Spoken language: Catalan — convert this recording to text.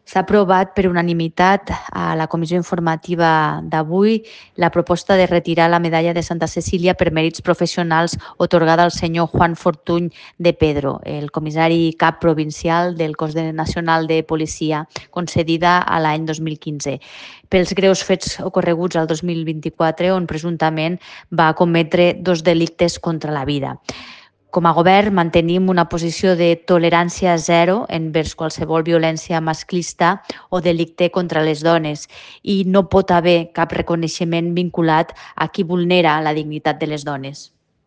S'ha aprovat per unanimitat a la comissió informativa d'avui la proposta de retirar la medalla de Santa Cecília per mèrits professionals atorgada al senyor Juan Fortuny de Pedro, el comissari cap provincial del Cos Nacional de Policia, concedida a l'any 2015, pels greus fets ocorreguts al 2024, on presumptament va cometre 2 delictes contra la vida. Com a govern mantenim una posició de tolerància zero envers qualsevol violència masclista o delicte contra les dones i no pot haver cap reconeixement vinculat a qui vulnera la dignitat de les dones.